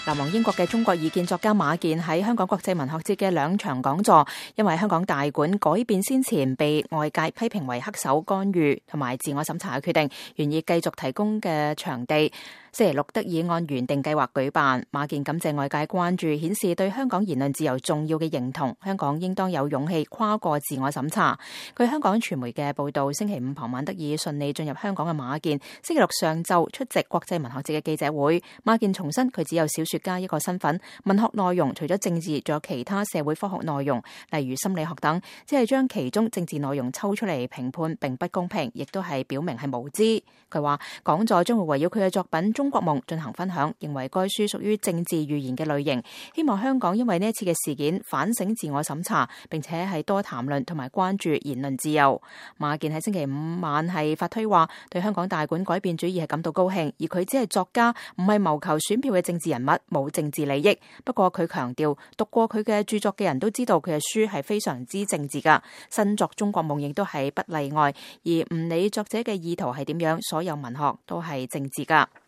流亡英國嘅中國異見作家馬健喺香港國際文學節嘅2場講座，因為香港大館改變先前被外界批評為黑手干預同埋自我審查嘅決定，願意繼續提供嘅場地，星期六得以按原定計劃舉辦。馬健感謝外界關注，顯示對香港言論自由重要嘅認同，香港應當有勇氣跨過自我審查。據香港傳媒嘅報道，星期5傍晚得以順利進入香港嘅馬健，星期六上晝出席國際文學節嘅記者會。馬健重申佢只有小說家一個身份，文學內容除咗政治，仲有其他社會科學內容，例如心理學等，只係將其中政治內容抽出嚟評判，並不公平，亦都係表明係無知。佢話講座將會圍繞佢嘅作品《中國夢》進行分享，認為該書屬於政治寓言嘅類型，希望香港因為呢一次嘅事件反省自我審查，並且係多談論同埋關注言論自由。馬健喺星期5晚係發推話，對香港大館改變主意係感到高興，而佢只係作家，唔係謀求選票嘅政治人物，冇政治利益。不過佢強調，讀過佢嘅著作嘅人都知道佢嘅書係非常之政治噶，新作《中國夢》亦都係不例外，而唔理作者嘅意圖係點樣，所有文學都係政治噶。